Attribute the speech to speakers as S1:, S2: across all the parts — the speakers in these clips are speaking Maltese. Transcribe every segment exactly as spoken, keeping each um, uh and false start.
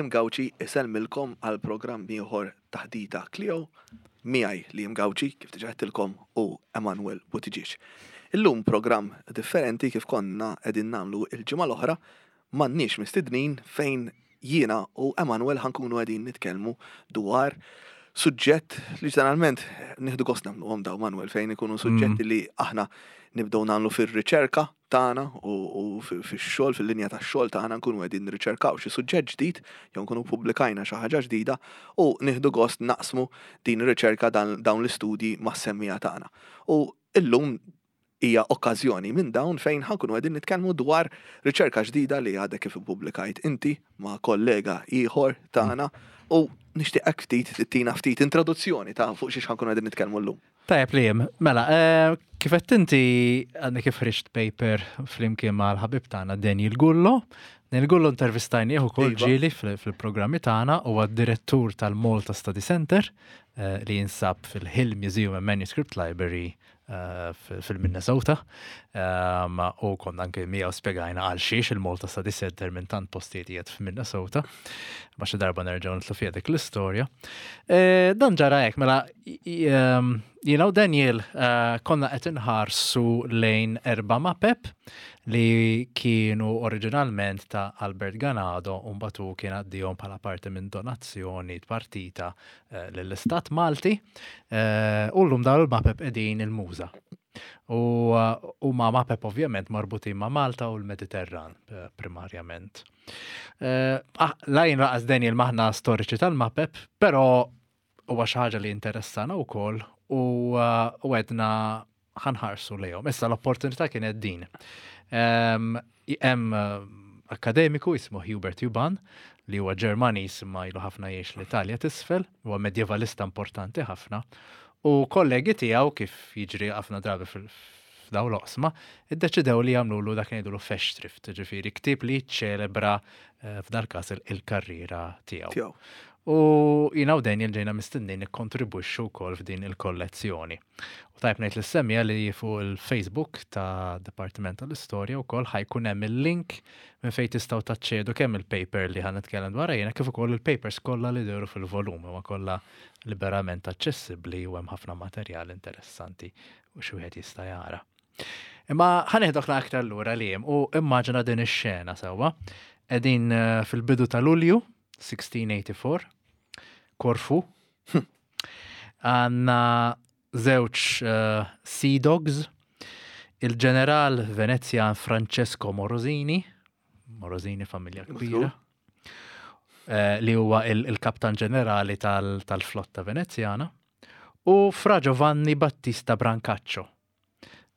S1: Liam Gauci isellmilkom għal programm ieħor Taħdita Clio miegħi Liam Gauci kif diġà għedtilkom u Emanuel Buttigieg. Illum programm differenti kif konna qegħdin nagħmlu il-ġimgħa l-oħra m'għandniex mistednin fejn jiena u Emanuel ħa nkunu qegħdin nitkellmu dwar suġġett li ġeneralment nieħdu gost nagħmluhom daw Manuel fejn ikunu suġġetti li aħna nibdew nagħmlu fir-riċerka tagħna u, u fix-xogħol fil-linja tax-xogħol tagħna nkunu qegħdin nirriċerkaw xi suġġett ġdid jew nkunu pubblikajna xi ħaġa ġdida u nieħdu gost naqsmu din ir-riċerka dawn l-istudji mas-semmiegħa tagħna. U illum hija okkażjoni minn dawn fejn ħa nkunu qegħdin nitkellmu dwar riċerka ġdida li għadek kif ippubblikajt inti ma' kollega ieħor tagħna u nixtieqek ftit tina ftit introduzzjoni ta' fuq xiex ħa nkunu qegħdin nitkellmu llum.
S2: Tajjeb Liam, mela, eh, kif qed inti għandek kif ħriġt paper flimkien mal-ħabib tagħna Daniel Gullo. Daniel Gullo intervistajnieh ukoll
S1: Iva.
S2: ġieli fil-programmi tagħna huwa d-direttur tal-Malta Study Center eh, li jinsab fil-Hill Museum and Manuscript Library eh, fil-Minnesota. Um, U konna anke miegħu spjegajna għal xiex il-Malta Study Center minn tant postijiet qiegħed f'Minnesota. Ma xi darba nerġgħu nidħlu fiha dik l-istorja. Eh, Dan ġara hekk, mela ehm, jiena u Daniel eh, konna qed inħarsu lejn erba' mapep li kienu oriġinalment ta' Albert Ganado u mbagħad hu kien għaddihom bħala parti minn donazzjoni partita eh, lill-Istat Malti eh, u llum dawn il-mapep qegħdin il-MUŻA. U huma mapep ovvjament marbutin ma' Malta u l-Mediterran eh, primarjament. Eh, ah, La jien lanqas Daniel m'aħna storiċi tal-mapep, però huwa xi ħaġa li interessana wkoll u uh, u għedna ħa nħarsu lejhom. Issa l-opportunità kienet din. Hemm uh, akademiku jismu Hubert Juban li huwa Ġermaniż imma ilu ħafna jgħix l-Italja t'isfel, huwa medjevalista importanti ħafna. U kollegi tiegħu kif jiġri ħafna drabi fil- f'daw l-oqsma, iddeċidew li jagħmlu dak ngħidulu Festschrift, ġifieri ktieb li jiċċelebra eh, f'dal każ il- il-karriera tiegħu.
S1: Tiegħu.
S2: U jina u Daniel ġejna mistednin nikkontribwixxu wkoll f'din il-kollezzjoni. U tajb ngħid lis-semmiegħa li fuq il-Facebook ta' Dipartiment tal-Istorja wkoll ħa jkun hemm il-link minn fejn tistgħu taċċedu kemm il-paper li ħa nitkellem dwar jiena kif ukoll il-papers kollha li dehru fil-volum huma kollha liberament aċċessibbli u hemm ħafna materjal interessanti u xi wieħed jista' jara. Imma ħa neħdok aktar lura li u immaġina din ix-xena sewwa. Qegħdin eh, fil-bidu ta' Lulju sixteen eighty-four, Korfu. Għandna żewġ uh, Sea Dogs, il-ġeneral Venezjan Francesco Morosini, Morosini familja kbira, eh, li huwa il- il-kaptan ġenerali tal- tal-flotta Venezjana, u Fra Giovanni Battista Brancaccio.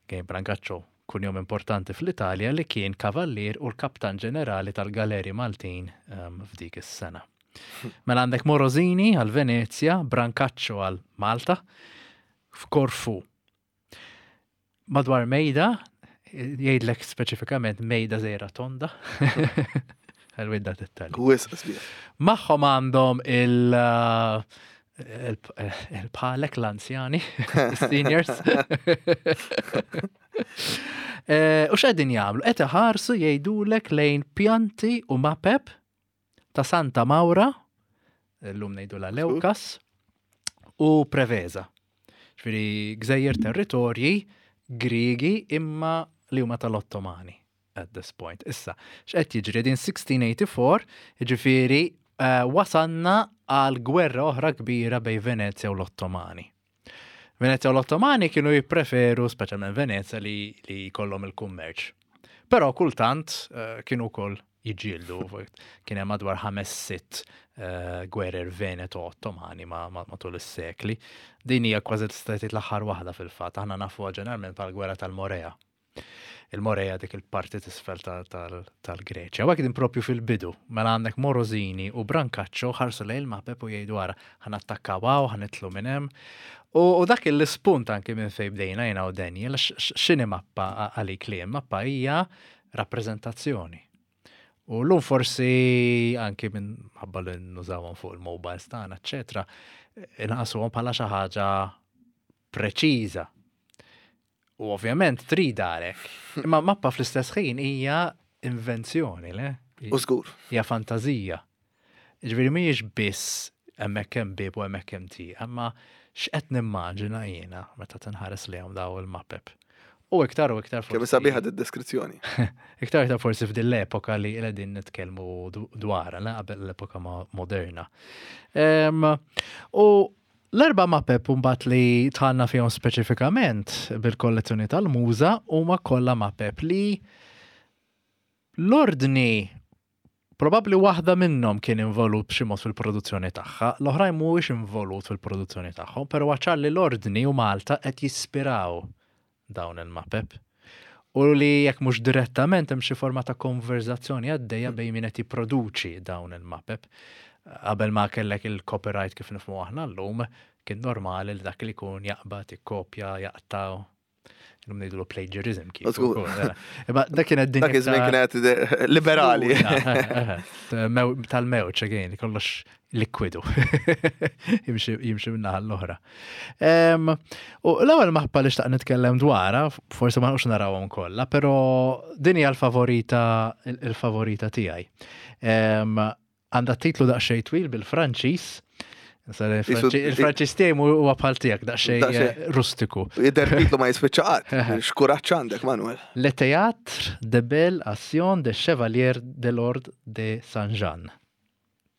S2: Kien Brancaccio kunjom importanti fl-Italja li kien kavallier u l-kaptan ġenerali tal-Galeri Maltin um, f'dik is-sena. Mela għandek Morosini għal Venezia, Brancaccio għal Malta, f'Korfu. Madwar mejda, jgħidlek speċifikament mejda żgħira tonda. Għal-widda dettalji.
S1: Wisq sbieħ.
S2: Magħhom għandhom il- uh, il- il-palek l-anzjani, seniors. Eh, U x'qegħdin jagħmlu? Qed iħarsu jgħidulek lejn pjanti u mapep ta' Santa Maura, llum ngħidu la Leukas, u Preveza. Ġifieri gżejjer territorji Griegi imma li huma tal-Ottomani at this point. Issa, x'qed jiġri din sixteen eighty-four, jiġifieri eh, wasanna għal gwerra oħra kbira bejn Venezia u l-Ottomani. Venezia u l-Ottomani kienu jippreferu, speċjalment Venezia, li, li jkollhom il-kummerċ. Però kultant eh, kienu wkoll jiġġieldu, kien hemm madwar ħames sitt uh, gwerer Veneto-Ottomani ma, ma, matul is-sekli. Din hija kważi tista' tgħid l-aħħar waħda fil-fatt, aħna nafuha ġeneralment bħal-gwerra tal-Morea. Il-Morea dik il-parti t'isfel tal-Greċja. U din propju fil-bidu, mela għandek Morosini u Brancaccio ħarsu lejn il-mapep u jgħidu ara ħa nattakkaw hawn, ħa nitilgħu minn hemm. U, u dak il-spunt anki minn fejn bdejna jiena u Daniel, x'inhi mappa għalik li mappa hija rappreżentazzjoni. U l-lum forsi anki minħabba li nużawhom fuq il-mobiles tagħna, eċetera, inqasuhom bħala xi ħaġa preċiża. U ovvjament trid għalek. Imma mappa fl-istess ħin hija invenzjoni, le?
S1: U żgur.
S2: Hija fantazija. Ġifieri mhijiex biss hemmhekk hemm bieb u hemmhekk hemm tieqa, imma x'qed nimmaġina jiena meta tinħares lejhom daw il-mapep. U iktar u iktar
S1: Kemm sabiħa d-deskrizzjoni.
S2: Iktar iktar forsi f'din l-epoka li qegħdin nitkellmu dwarha, la qabel l-epoka moderna. U l-erba' mapep mbagħad li dħalna fihom speċifikament bil-kollezzjoni tal-Muża huma kollha mapep li l-ordni probabbli waħda minnhom kien involut b'xi mod fil-produzzjoni tagħha, l-oħrajn mhuwiex involut fil-produzzjoni tagħhom, però ċar li l-ordni u Malta qed jispiraw dawn il-mapep. U li jekk mhux direttament hemm xi forma ta' konverzazzjoni għaddejja bejn min qed jipproduċi dawn il-mapep. Qabel ma kellek il-copyright kif nifhmu aħna llum, kien normali li dak li jkun jaqbad, jikkopja, jaqta'. Illum ngħidulu plagiarism kif. Imma dak kien
S1: dak iż-żmien kienet liberali.
S2: Tal-mewġ again, kollox likwidu. Jimxi minnaħa l-oħra. U l-ewwel mappa li xtaqt nitkellem dwarha, forsi ma nqux narawhom kollha, però din hija l-favorita il-favorita tiegħi. Għandha titlu daqsxejn twil bil-Franċiż. Il-Franċiż tiegħi huwa bħal tiegħek daqsxejn rustiku.
S1: Jidher titlu ma jispiċċa qatt. X'kuraġġ għandek, Manuel.
S2: Le théâtre de belle action de chevalier de l'Ordre de Saint-Jean.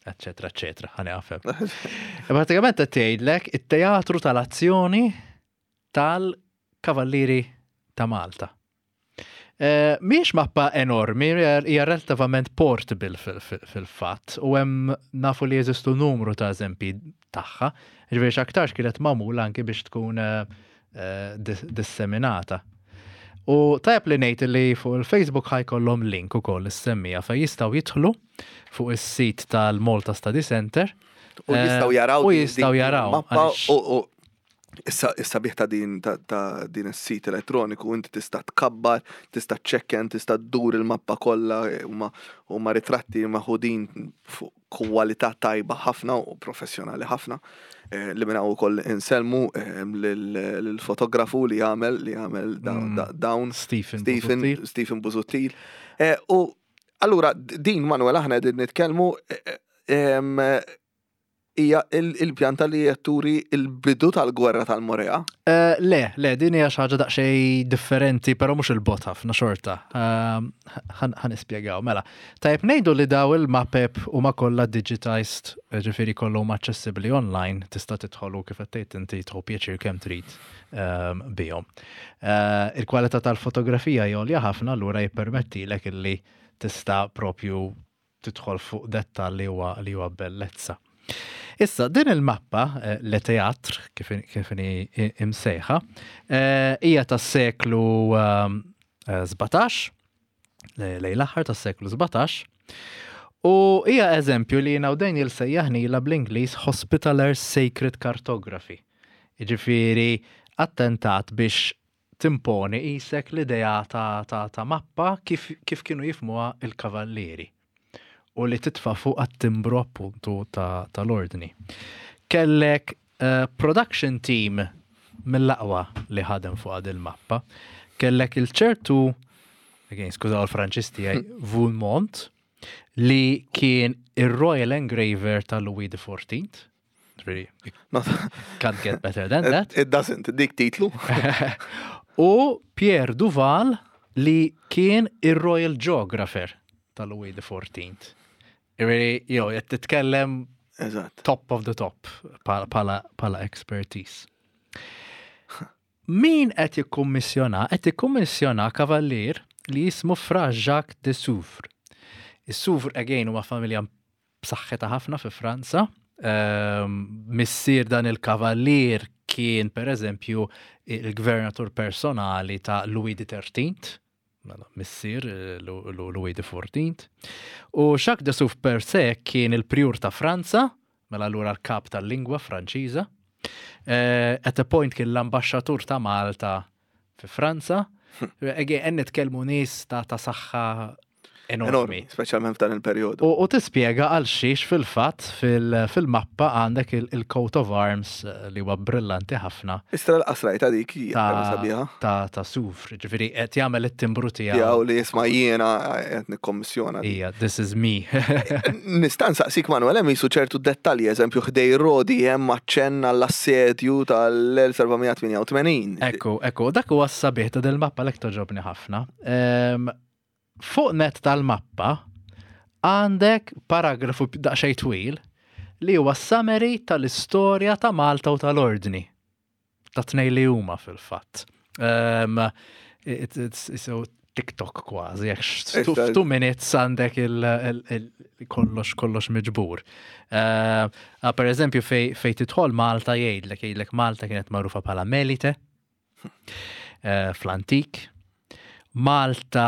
S2: Eccetera, eccetera, ħa nieqaf hemm. Pratikament qed tgħidlek it-teatru tal-azzjoni tal-Kavallieri ta' Malta. Eh, mhix mappa enormi, hija relattivament portable fil-fatt, u hemm nafu li jeżistu numru ta' eżempji tagħha, ġifieri x'aktarx kienet magħmula anki biex tkun eh, disseminata. U tajab li ngħid li fuq il-Facebook ħa jkollhom link ukoll is-semmija fejn jistgħu jidħlu fuq is-sit tal-Malta Study Center.
S1: U jistgħu jaraw.
S2: U jistgħu jaraw.
S1: Mappa u issa issa ta' din ta' din is-sit elettroniku inti tista' tkabbar, tista' ċċekken, tista' ddur il-mappa kollha, huma huma ritratti meħudin fuq kwalità tajba ħafna u professjonali ħafna eh, li minn hawn ukoll insellmu eh, lill-fotografu li jagħmel li jagħmel mm. dawn
S2: Stephen
S1: Stephen Stephen Busuttil. Eh, u allura din, Manuel, aħna qegħdin nitkellmu hija il-pjanta li turi il-bidu tal-gwerra tal-Morea?
S2: Eh, le, le, din hija xi ħaġa daqsxejn differenti, però mhux il-bot ħafna xorta. Ehm, ħa nispjegaw, mela. Tajb ngħidu li daw il-mapep huma kollha digitized, ġifieri kollhom aċċessibbli online, tista' tidħolu kif qed tgħid inti, tieħu pjaċir kemm trid ehm, bihom. Eh, il-kwalità tal-fotografija għolja ħafna, allura jippermettilek illi tista' propju tidħol fuq dettal li huwa li huwa bellezza. Issa, din il-mappa, eh, Le Théâtre, kif kif imsejħa, eh, hija tas-seklu sbatax, eh, lejn l-aħħar tas-seklu sbatax, u hija eżempju li jiena u Daniel sejjaħnila bl-Ingliż Hospitaller Sacred Cartography. Jiġifieri attentat biex timponi isek l-idea ta', ta, ta' mappa kif, kif kienu jifmuha il-kavallieri u li titfa' fuq għat-timbru appuntu tal-ordni. Kellek uh, production team mill-aqwa li ħadem fuq għad il-mappa. Kellek il-ċertu, again, skużaw il-Franċiż tiegħi, Vulmont, li kien il-Royal Engraver ta' Louis the Fourteenth. Really, can't get better than that.
S1: It doesn't, dik titlu.
S2: U Pierre Duval li kien il-Royal Geographer ta' Louis the Fourteenth. Really, jo, qed titkellem
S1: Eżatt.
S2: top of the top pala, pala expertise. Min qed jikkummissjona? Qed jikkummissjona kavallier li jismu Fra Jacques de Souvre. Is-Souvre, again, huma familja b'saħħitha ħafna fi Franza. Um, missier dan il-kavallier kien, per eżempju, il-gvernatur personali ta' Louis the Thirteenth, mela, missier eh, Louis the Fourteenth. U Jacques de Souvre per se kien il-prior ta' Franza, mela allura l-kap tal-lingwa Franċiża. Uh, at a point kien l-ambasċatur ta' Malta fi Franza. Again, nitkellmu nies ta' ta' saħħa enormi.
S1: Speċjalment f'dan il-perjodu.
S2: U, u tispjega għal xiex fil-fatt fil-mappa għandek il-coat of arms eh, li huwa brillanti ħafna.
S1: Istra l-qasrajta dik hija sabiħa.
S2: Ta' ta' sufr, ġifieri qed jagħmel it-timbru tiegħu.
S1: Tiegħu li jisma' jiena qed nikkommissjona.
S2: Ija, this is me.
S1: Nista' nsaqsik Manuel hemm jisu ċertu dettalji, eżempju ħdej Rodi hemm aċċenn għall-assedju tal-elf seba' mija tmienja u tmenin.
S2: Ekku, ekku, dak huwa s-sabiħ ta' dil-mappa l togħġobni ħafna. Fuq net tal-mappa għandek paragrafu daqsxejn twil li huwa summary tal-istorja ta' Malta u tal-Ordni. Ta' tnej li huma fil-fatt. Um, it's, it's, so TikTok kważi, jekk two minutes għandek il-kollox kollox miġbur. Uh, per eżempju, fej, fej tidħol Malta jgħidlek, jgħidlek Malta kienet magħrufa bħala Melite, uh, fl-antik. Malta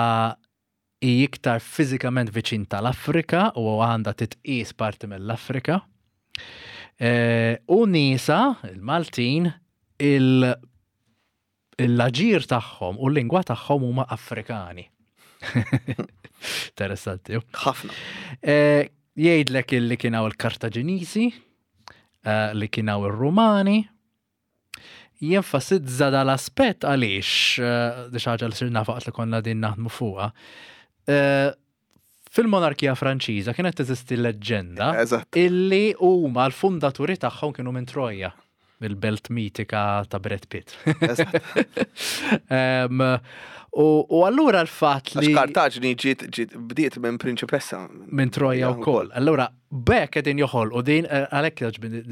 S2: hi iktar fiżikament viċin tal-Afrika u għandha titqis parti mill-Afrika. E, u nisa, il-Maltin, il-aġir tagħhom u l-lingwa tagħhom huma Afrikani. Interessanti.
S1: Ħafna.
S2: E, jgħidlek illi kien hawn il-Kartaġinisi, e, li kien hawn ir-Rumani, jenfasizza dal-aspett għaliex, di ħaġa li sirna faqt li konna din naħdmu fuqha. Eh, fil-monarkija Franċiża kienet teżisti leġġenda illi huma l-fundaturi tagħhom kienu minn Troja, il-belt mitika ta' Brad Pitt. U, u allura l-fatt li.
S1: Għax Kartaġni ġiet ġiet bdiet minn prinċipessa.
S2: Minn Troja wkoll. Allura bekk qegħdin joħolqu din eh, għalhekk jogħġbni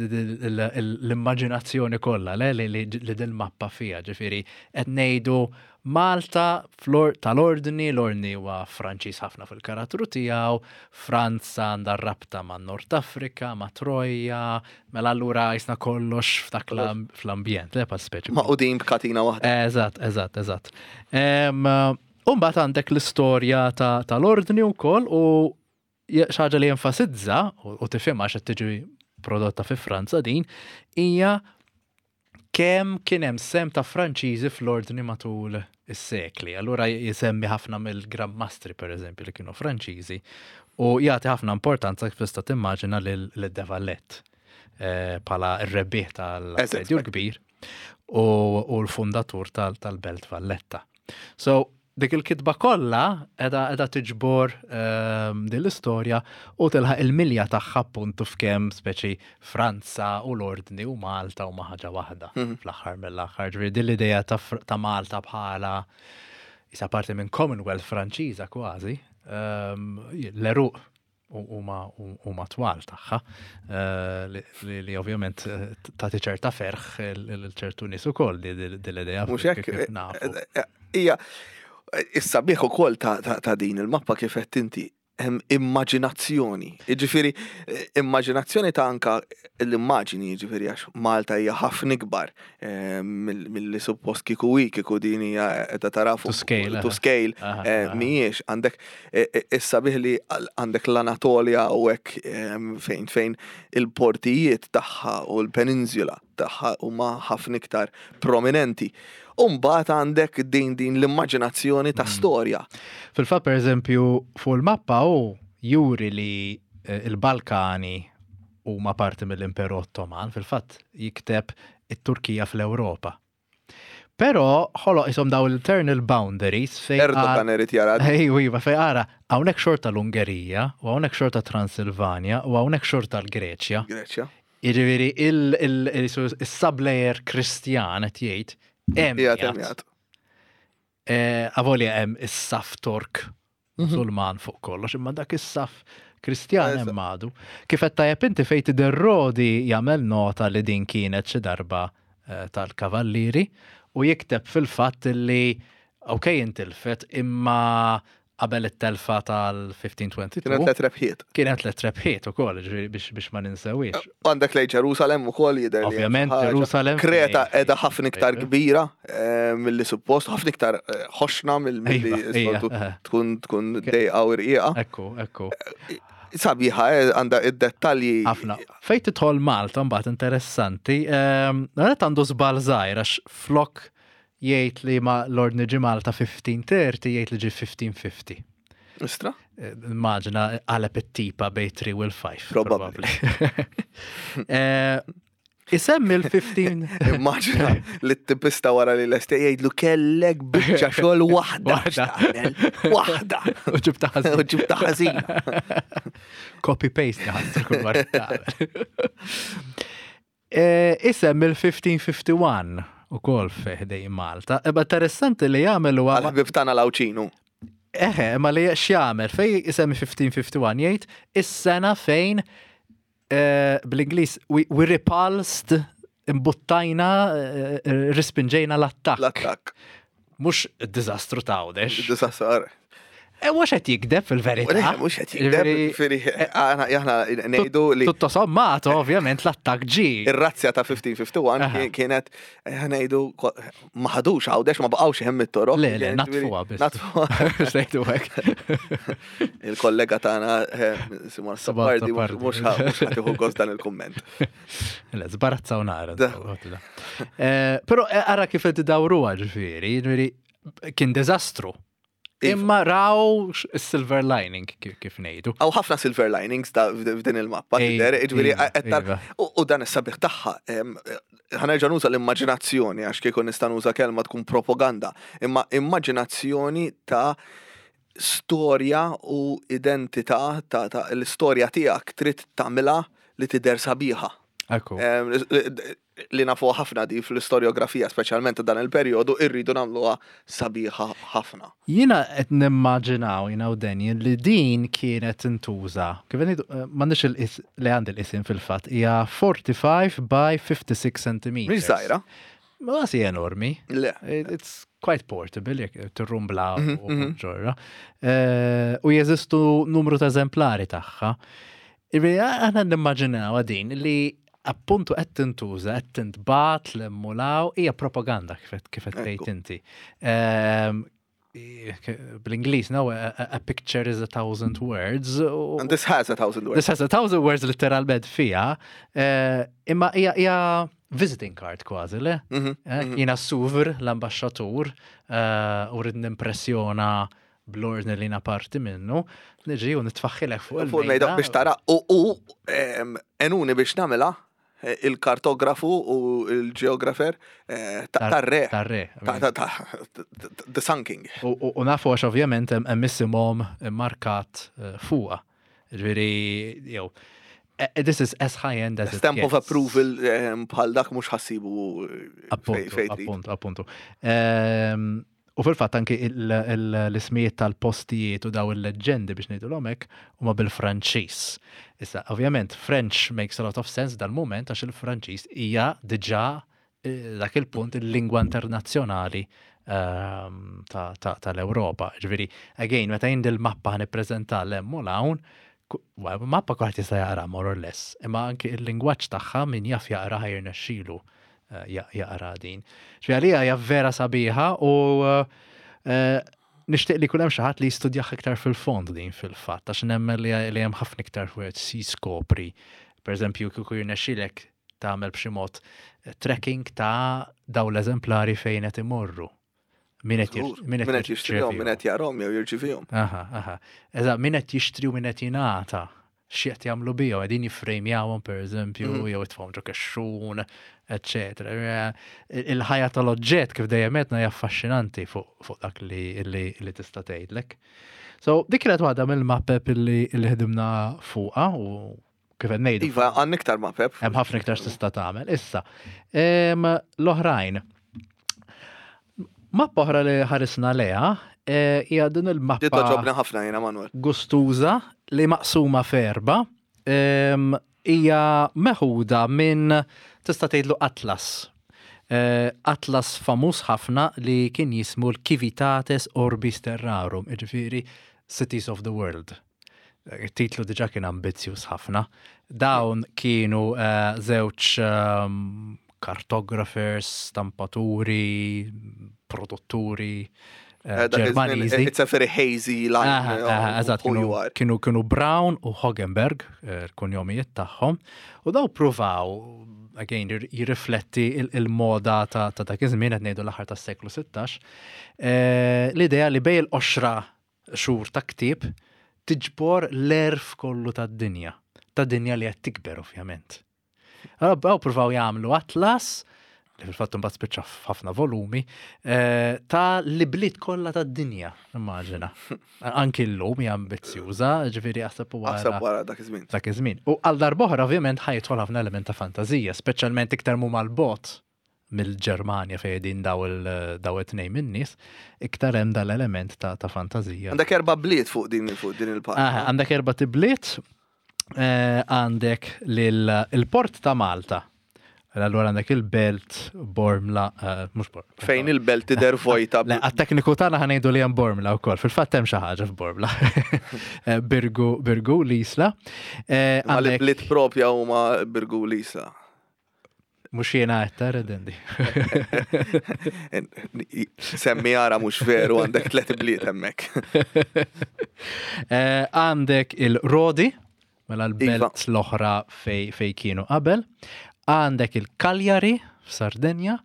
S2: l-immaġinazzjoni kollha le, li li li din mappa fija, ġifieri qed ngħidu Malta flor tal-ordni, l-ordni huwa Franċiż ħafna fil-karattru tiegħu, Franza għandha rabta ma' Nord Afrika, ma' Troja, mela allura jisna kollox f'dak l- fl-ambjent, le pa' speċi.
S1: Magħqudin b'katina waħda.
S2: Eżatt, eżatt, eżatt. Umbat għandek l-istorja ta- tal-ordni wkoll u xi ħaġa li jenfasizza u u tifhimha għax qed tiġi prodotta fi Franza din hija kemm kien hemm sem ta' Franċiżi fl-ordni matul is-sekli. Allura jisemmi ħafna mill-Grand Mastri pereżempju li kienu Franċiżi u jagħti ħafna importanza kif tista' timmaġina lil De Valette eh, bħala r-rebbieħ tal-Assedju l-Kbir u, u l-fundatur tal- tal-Belt Valletta. So, dik il-kitba kollha edha edha tiġbor um, din l-istorja u tilħaq il-milja tagħha appuntu f'kemm speċi Franza u l-Ordni u Malta u ħaġa waħda
S1: Mhm.
S2: fl-aħħar mill-aħħar. Ġifieri din l-idea ta', Fr- ta' Malta bħala isa parti minn Commonwealth Franċiża kważi, um, l-eruq huma huma twal tagħha eh, li, li, li ovvjament eh, tagħti ċerta ferħ il ċertu nies ukoll di din l-idea
S1: Mhux hekk,
S2: kif nafu.
S1: eh, Ija, issa bieħ ukoll ta' ta' ta' din il-mappa kif qed inti hemm immaġinazzjoni. Jiġifieri eh, immaġinazzjoni ta' anka l-immaġini, jiġifieri għax Malta hija ħafna ikbar eh, mill- milli suppost kieku hi, kieku din hija qiegħda tara fuq
S2: To scale,
S1: to
S2: aha.
S1: scale.
S2: Aha,
S1: eh,
S2: aha.
S1: Mhijiex għandek eh, eh, issa bih li għal- għandek l-Anatolja u hekk em, fejn fejn il-portijiet tagħha u l-peninsula tagħha huma ħafna iktar prominenti. U mbagħad għandek din din l-immaġinazzjoni ta'
S2: Mm.
S1: storja.
S2: Fil-fatt, per eżempju, fuq il-mappa u juri li eh, il-Balkani huma parti mill-Imperu Ottoman, fil-fatt jikteb it-Turkija fl-Ewropa. Però ħoloq isom daw l-internal boundaries fej
S1: Erdogan irid jara.
S2: Ej, iva, fej ara, hawnhekk xorta l-Ungerija, u hawnhekk xorta Transilvania, u hawnhekk xorta l-Greċja.
S1: Greċja.
S2: Jiġifieri il-sublayer Kristjan qed jgħid hemm
S1: Hija
S2: qiegħed.
S1: temjat.
S2: Eh, Avolja hemm is-saf Tork
S1: Mhm.
S2: Musulman fuq kollox, imma dak is-saf Kristjan
S1: Eżatt.
S2: hemm għadu. Kif qed tajjeb inti fejn tidher Rodi jagħmel nota li din kienet xi darba eh, tal-kavallieri u jikteb fil-fatt li ok intilfet imma qabel it-telfa tal-elf ħamsa mija u tnejn u għoxrin
S1: Kienet tliet rebħiet.
S2: Kienet tliet rebħiet ukoll, ġifieri biex biex ma ninsewiex.
S1: Għandek lej Ġerusalem ukoll jidher li hemm
S2: Ovvjament
S1: xi ħaġa.
S2: Ġerusalem.
S1: Kreta
S2: fejn-
S1: edha ħafna iktar
S2: fejn-
S1: kbira eh, milli suppost, ħafna iktar eh, ħoxna mill-milli
S2: Iva, ija,
S1: soltu
S2: eh.
S1: tkun tkun dejqa u rqiqa.
S2: Ekku, ekku.
S1: Sabiħa, eh, għandha id-dettalji.
S2: Ħafna. Fejn tidħol Malta mbagħad interessanti, ehm, għalet għandu żball żgħir għax flok jgħid li ma l-ordni ġi Malta elf ħamsa mija u tletin jgħid li ġi elf ħamsa mija u ħamsin.
S1: Istra?
S2: Eh, Immaġina qaleb it-tipa bejn tlieta u l-ħamsa.
S1: Probably.
S2: Eh, Isemmi l-ħmistax.
S1: Immaġina li t-tipista wara li l-este jgħidlu, "Kellek biċċa xogħol waħda.
S2: Waħda.
S1: X'tagħmel? Waħda.
S2: U ġibta ħażin."
S1: U ġibta ħażina.
S2: Copy paste ħadd kull marra tagħmel. Eh, Isem il-elf ħmistax u wieħed u ħamsin ukoll ħdejn Malta. Eba interessanti li jagħmel huwa
S1: Għal-ħbib tagħna l-Għawdxin.
S2: Eħe, ma li x'jagħmel fej isemmi elf ħmistax u wieħed u ħamsin jgħid is-sena fejn eh, bl-Ingliż we, we repulsed, imbuttajna, eh, rispinġejna l-attakk.
S1: L-attakk.
S2: Mhux id-diżastru ta' Għawdex.
S1: Disastru.
S2: E mhux qed jikdeb fil-verità.
S1: Mhux qed jikdeb,
S2: Ġifieri,
S1: ġifieri, aħna aħna ngħidu li
S2: Tutto sommato, ovvjament, l-attakk ġi.
S1: Ir-razzja ta' elf ħmistax u wieħed u ħamsin
S2: Aha.
S1: kien- kienet eh, ngħidu ko- ma ħadux Għawdex, ma baqgħux hemm it-toroq.
S2: Le, le, natfuha biss.
S1: Natfuha.
S2: Sejtu hekk.
S1: Il-kollega tagħna eh, Simon
S2: Simon
S1: Sappardi
S2: Sappardi.
S1: mhux ħa- mhux ħa tieħu gost dan il-kumment.
S2: Le, żbarazzaw nara.
S1: Da.
S2: Eh, Però eh, ara kif qed idawruha, ġifieri, ġifieri kien diżastru.
S1: Iva.
S2: Imma raw x- silver lining kif kif ngħidu.
S1: Hawn ħafna silver linings ta' f'din il-mappa,
S2: Ej,
S1: tidher, ġifieri,
S2: iva,
S1: qed tar-
S2: iva.
S1: U u dan is-sabiħ tagħha, em, ħa nerġa' nuża l-immaġinazzjoni, għax kieku nista' nuża kelma tkun propaganda, imma immaġinazzjoni ta' storja u identità ta' ta' l-istorja tiegħek trid tagħmilha li tidher sabiħa.
S2: Ekku.
S1: Em, li- Li nafu ħafna di fl-istorjografija, speċjalment ta' dan il-perjodu, irridu nagħmluha sabiħa ħafna.
S2: Jiena qed nimmaġinaw, jiena u Daniel, li din kienet tintuża. Kif ngħidu, eh, m'għandix il-is li għandi l-isim fil-fatt, hija forty-five by fifty-six centimeters.
S1: Mhix żgħira.
S2: Ma si enormi.
S1: Le.
S2: It- It's quite portable, jekk tirrumbla
S1: Mhm,
S2: u
S1: mhm.
S2: ġorra. Eh, U jeżistu numru ta' eżemplari tagħha. Ġifieri, aħna nimmaġinaw din li appuntu qed tintuża, qed tintbat l-emmulaw, hija propaganda kif qed- kif qed tgħid
S1: Ekku.
S2: inti. Ehm, i- Bl-Ingliż, no, a, a- a picture is a thousand words. u-
S1: And this has a thousand words.
S2: This has a thousand words literalment fija. Eh, Imma hija hija visiting card kważi, le?
S1: Mhm,
S2: Eh,
S1: mhm.
S2: Jiena suvr l-ambasċatur eh, u rrid nimpressjona bl-ordni li jiena parti minnu, niġi u nitfaħħilek fuq
S1: Fuq il-mejda biex tara u u em, enuni biex nagħmilha eh, il-kartografu u il-geografer eh, ta' tar-re.
S2: Tar-re.
S1: Ta' ta' ta' The Sun King.
S2: U- U u nafu għax ovvjament hemm hemm isimhom markat eh, fuqha. Ġifieri, jew, eh, this is as high end as it
S1: Stamp of
S2: gets.
S1: approval em, bħal dak mhux ħa ssibu eh, fej-
S2: Appuntu,
S1: fej trid.
S2: appuntu, appuntu. Ehm, U fil-fatt anki il- il- l-ismijiet tal-postijiet u daw il-leġendi biex ngħidu l-omek huma bil-Franċiż. Issa, ovvjament, French makes a lot of sense dal-moment għax il-Franċiż hija diġà eh, dak il-punt il-lingwa internazzjonali ehm, ta- ta- tal-Ewropa. Ġifieri, again, meta jien dil-mappa ħa nippreżenta l-hemm u l-hawn, ku- well, mappa kulħadd jista' jaqra more or less, imma anki il-lingwaġġ tagħha min jaf jaqra ħa jirnexxielu eh, ja- jaqra din. Ġifieri għalija hija vera sabiħa u eh, nixtieq li jkun hemm xi ħadd li jistudjah iktar fil-fond din fil-fatt, għax nemmen li li hemm ħafna iktar fuq si skopri. Per eżempju, kieku jirnexxielek tagħmel b'xi mod eh, tracking ta' daw l-eżemplari fejn qed imorru. Min qed
S1: Żgur.
S2: jir- min
S1: Min qed jixtrihom, min
S2: jirċevihom.
S1: qed jarahom jew jirċivihom.
S2: Aha, aha. Eżatt, min qed jixtri u min qed jingħata. X'qed jagħmlu bihom, qegħdin jiffrejmjawhom pereżempju,
S1: Mhm.
S2: jew itfgħuhom ġo kexxun, eċċetera. Il-ħajja tal-oġġett kif dejjem għedna hija affaxxinanti fuq fuq dak li, li, li tista' tgħidlek. So, dik kienet waħda mill-mappep illi, illi ħdimna fuqha u kif qed ngħidu.
S1: Iva, għandna iktar mapep.
S2: Hemm ħafna iktar tista' tagħmel. Issa, em, l-oħrajn. Mappa oħra li ħarisna leha eh, hija din
S1: Di
S2: il-mappa
S1: togħġobni ħafna jiena, Manuel.
S2: gustuża li maqsuma f'erba. Em, Hija meħuda minn, tista' tgħidlu, atlas. Eh, Atlas famuż ħafna li kien jismu l-Civitates Orbis Terrarum, jiġifieri Cities of the World. Il-titlu diġa kien ambizzjuż ħafna. Dawn kienu eh, żewġ ehm, cartographers, stampaturi, produtturi eh,
S1: Eh, dak iż-żmien,
S2: Ġermaniżi.
S1: It's a very hazy line.
S2: Aha,
S1: eh,
S2: aha, eżatt,
S1: who
S2: kienu,
S1: you are.
S2: kienu, kienu Brown u Hogenberg, eh, il-kunjomijiet tagħhom, u daw pruvaw, again, jir- jirrifletti il- il-moda ta' ta' dak iż-żmien, qed ngħidu l-aħħar tas-seklu sittax, eh, l-idea li bejn il-qoxra xhur ta' ktieb tiġbor l-għerf kollu tad-dinja. Ta' dinja li qed tikber ovvjament. Għaw provaw jagħmlu atlas, li fil-fatt mbagħad spiċċa f'ħafna volumi, eh, ta' l-ibliet kollha tad-dinja, immaġina. Anki llum hija ambizzjuża, ġifieri aħseb u
S1: Aħseb
S2: wara
S1: wara dak iż-żmien.
S2: dak iż-żmien. U għal darb'oħra ovvjament ħa jidħol ħafna element ta' fantażija, speċjalment iktar mu mal-bot mill-Ġermanja fejn din daw il- daw it-tnejn min-nies, iktar hemm dal-element ta' ta' fantażija.
S1: Għandek erba' bliet fuq din fuq din il-parti.
S2: Ah, Għandek erba' tibliet, eh, għandek lil- il-port ta' Malta. Allura għandek il-Belt, Bormla, eh, mhux Bormla.
S1: Fejn il-belt tidher vojta.
S2: Le, għat-tekniku tagħna ħa ngħidu li hemm Bormla wkoll. Fil-fatt hemm xi ħaġa f'Bormla. Eh, Birgu, Birgu, l-Isla. Eh,
S1: Ma
S2: għandek-
S1: l-bliet propja huma Birgu l-Isla.
S2: Mhux jiena qed tara dendi.
S1: Semmi ara mhux veru għandek tliet bliet hemmhekk.
S2: Eh, Għandek il-Rodi, mela l-belt
S1: Iva.
S2: l-oħra fej, fej kienu qabel. Għandek il-Cagliari f'Sardenja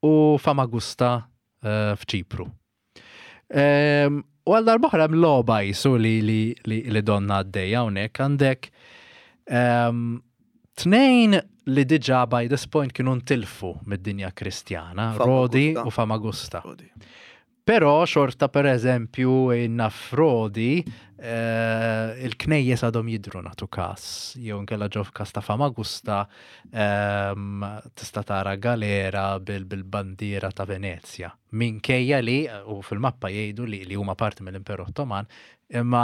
S2: u Famagusta eh, f'Ċipru. Ehm, U għal darb'oħra hemm logħba jisu li, li, li, li donna għaddejja hawnhekk għandek ehm, tnejn li diġà by this point kienu ntilfu mid-dinja kristjana, Rodi
S1: Famagusta.
S2: u Famagusta.
S1: Rodi.
S2: Però xorta per eżempju naf Rodi eh, il-knejjes għadhom jidru natu kas, jew nkella ġo f'kas ta' Famagusta ehm, tista' tara galera bil- bil-bandiera ta' Venezja. Minkejja li, u fil-mappa jgħidu li, li huma parti mill-Imperu Ottoman, imma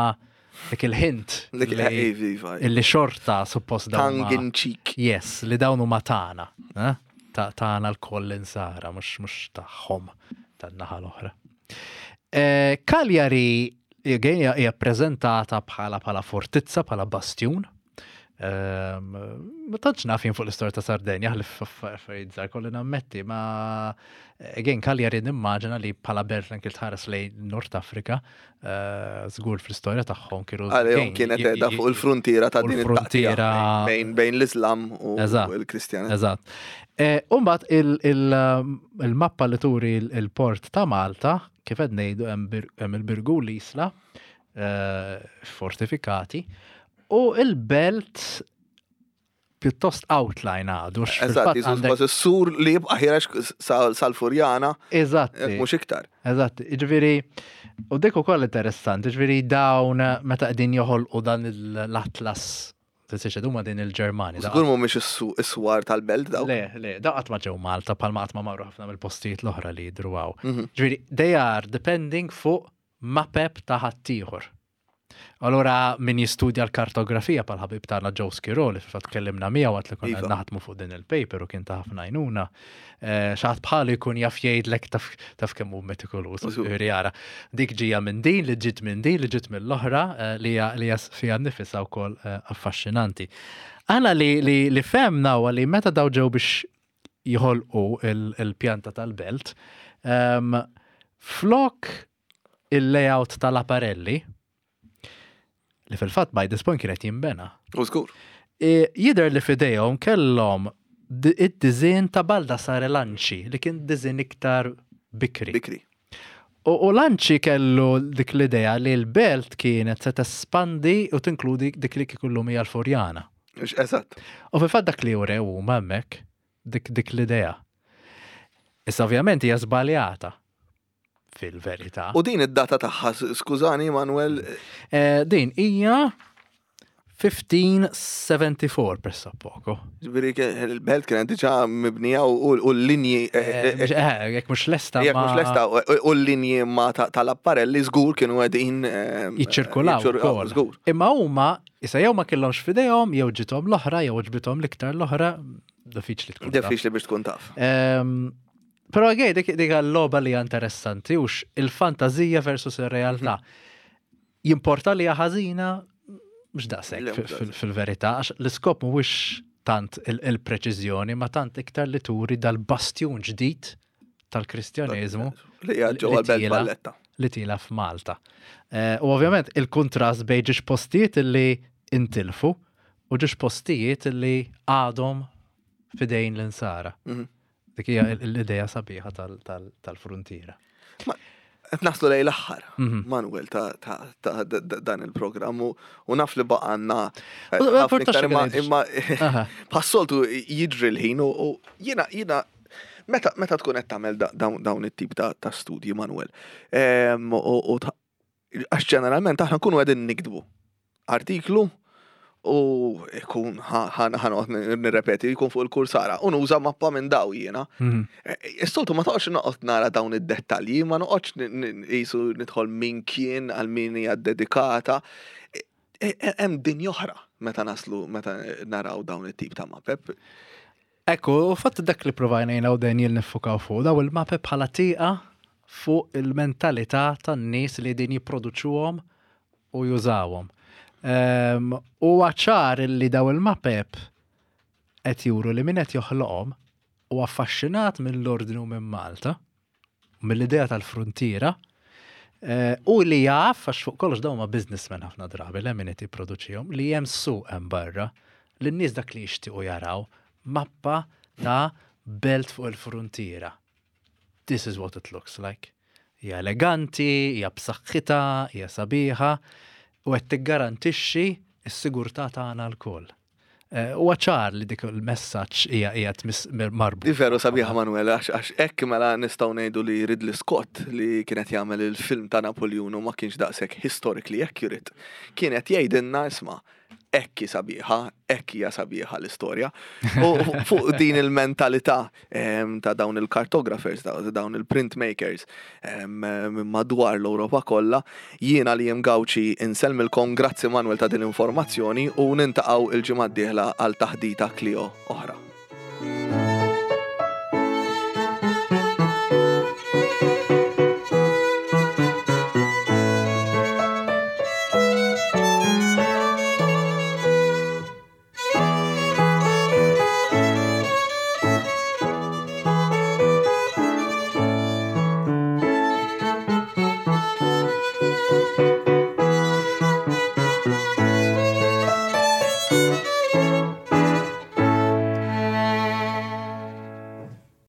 S2: dik il-hint
S1: Dik
S2: li,
S1: iva, iva.
S2: illi xorta suppost dawn
S1: Tongue
S2: huma-
S1: in cheek.
S2: Yes, li dawn huma tagħna, eh? Ta' tagħna l-koll insara, mhux mhux tagħhom tan-naħa l-oħra. Eh, Cagliari again, hija hija ppreżentata bħala bħala fortizza, bħala bastjun. Ehm, Ma tantx naf jien fuq l-istorja ta' Sardenja, ħlief affarijiet żgħar kolli nammetti, ma again Cagliari nimmaġina li bħala belt anke tħares lejn Nord Afrika, eh, żgur fl-istorja tagħhom kienu
S1: Għalihom
S2: again,
S1: kienet
S2: j-
S1: qiegħda
S2: j-
S1: fuq il-frontiera ta'
S2: u
S1: din it-taqtija
S2: l-frontiera-
S1: bejn bejn l-Islam u
S2: Eżatt.
S1: l-Kristjanità.
S2: Eżatt. Eh, Umbagħad il-mappa li turi il- il-port ta' Malta, kif qed ngħidu hemm bir- hemm il-Birgu l-Isla, eh, fortifikati, u il-belt pjuttost outline għadu. x
S1: Eżatt,
S2: fil-fatt
S1: jisu
S2: għandek-
S1: kważi s-sur li jibqa' ħirex sal- sal-Furjana,
S2: Eżatti.
S1: jekk mhux iktar.
S2: Eżatt, ġifieri, u dik ukoll interessanti, ġifieri dawn meta qegħdin joħolqu dan l-Atlas, tinsiex huma din il-Ġermani.
S1: Żgur mhumiex is-su- is-swar tal-belt daw.
S2: Le, le, da qatt ma ġew Malta bħalma qatt ma marru ħafna mill-postijiet l-oħra li jidru hawn.
S1: Mhm.
S2: Ġifieri, they are depending fuq mapep ta' ħaddieħor. Allora min jistudja l-kartografija pal ħabib tagħna Joe Schiroli, fil-fatt tkellimna miegħu għat li konna
S1: Iva.
S2: naħdmu fuq din il-paper u kien ta' ħafna għajnuna. Eh, Xi ħadd bħalu jkun jaf jgħidlek taf taf kemm hu metikoluż.
S1: Żgur.
S2: Ġifieri jara, dik ġija minn din, li ġiet minn din, li ġiet mill-oħra, eh, li hija li hija fiha nnifisha wkoll eh, affaxxinanti. Aħna li li li femna huwa li meta daw ġew biex jħolqu il- il-pjanta tal-belt, em, flok il-layout tal-apparelli, li fil-fatt by this point kienet jimbena,
S1: U żgur.
S2: e, jidher li fidejhom kellhom di- id-dizin ta' Baldassare Lanci, li kien dizin iktar bikri.
S1: Bikri.
S2: U, u Lanci kellu dik l-idea li l-belt kienet se tespandi u tinkludi dik li kieku llum hija l-Furjana.
S1: Eżatt.
S2: U fil-fatt dak li urew huma hemmhekk dik dik l-idea. Issa ovvjament hija żbaljata fil-verità.
S1: U din id-data tagħha, skużani Manuel,
S2: Eh, din hija elf u ħmistax mija u sebgħa u sebgħin pressappoco.
S1: ġifieri ke- il-belt kienet diġà mibnija u u l-linji eh,
S2: Eh,
S1: eh,
S2: eh, Jekk mhux lesta
S1: jekk
S2: ma-
S1: mhux lesta u u l-linji ma ta- tal-apparelli żgur kienu qegħdin eh,
S2: jiċċirkulaw
S1: jiċċirkulaw,
S2: ukoll.
S1: Żgur.
S2: Imma huma issa jew ma kellhomx f'idejhom, jew ġithom l-oħra, jew ġbithom l-iktar l-oħra, diffiċli tkun. taf.
S1: Diffiċli biex tkun taf.
S2: Ehm, Però għej, dik dik l-logħba li hija interessanti hux il-fantazija versus ir-realtà. Jimporta li hija ħażina mhux
S1: Le,
S2: daqshekk
S1: mhux
S2: fil- fil- fil-verità, għax l-iskop mhuwiex tant il- il-preċiżjoni, ma tant iktar li turi dal-bastjun ġdid tal-Kristjaneżmu
S1: Li hija ġewwa
S2: li
S1: l-belt
S2: tila.
S1: Valletta.
S2: li tila f'Malta. Eh, U ovvjament il-kontrast bejn ġiex postijiet li intilfu u ġiex postijiet li għadhom fidejn l-insara.
S1: Mhm.
S2: Dik hija l- l-idea sabiħa tal- tal- tal-frontiera.
S1: Qed naslu lejn l-aħħar,
S2: Mhm.
S1: Manuel, ta' ta' ta' da- da- dan il-programm u u naf li baqgħalna eh,
S2: U-
S1: ħafna
S2: portax
S1: iktar, imma
S2: xi
S1: imma
S2: Aha.
S1: bħas-soltu jiġri l-ħin u u jiena jiena meta meta tkun qed tagħmel da- dawn dawn it-tip ta' ta' studji, Manuel. Em, U u ta- għax ġeneralment aħna nkunu qegħdin niktbu artiklu u ikun ħa noqgħod nirrepeti, jkun fuq il-kursara u nuża mappa minn daw jiena.
S2: Mhm.
S1: Is-soltu ma toqgħodx noqgħod nara dawn id-dettalji, ma noqgħodx n- n- qisu nidħol min kien għal min hija dedikata. E- e- Hemm dinja oħra meta naslu meta naraw dawn it-tip ta' mapep.
S2: Ekku, u fatt dak li provajna jiena u Daniel niffukaw fuq, daw il-mapep bħala tieqa fuq il-mentalità tan-nies li din jipproduċuhom u jużawhom. Um, u ċar li daw il-mapep qed juru li min qed joħloqhom u affaxxinat mill-ordni u minn Malta, mill-idea tal-frontiera, eh, u li jaf, għax fuq kollox dawn ma businessmen ħafna drabi, le min qed jipproduċihom, li hemm suq hemm barra, li n-nies dak li jixtiequ jaraw mappa ta' belt fuq il-frontiera. This is what it looks like. Hija eleganti, hija b'saħħitha, hija sabiħa, u qed tiggarantixxi s-sigurtà tagħna lkoll. Eh, Huwa ċar li dik il-messaġġ hija qiegħed marbut.
S1: Di veru sabiħa, Manuel, għax għax hekk mela nistgħu ngħidu li Ridley Scott, li kienet jagħmel il-film ta' Napoleon u ma kienx daqshekk historically accurate, kienet jgħidilna, isma', hekk hi sabiħa, hekk hija sabiħa l-istorja. U fuq din il-mentalità em, ta' dawn il-cartographers, ta' dawn il-printmakers em, minn madwar l-Ewropa kollha, jiena li jem Gauci insellmilkom, grazzi Manuel ta' din l-informazzjoni u niltaqgħu il-ġimgħa d-dieħla għal taħdita Clio oħra.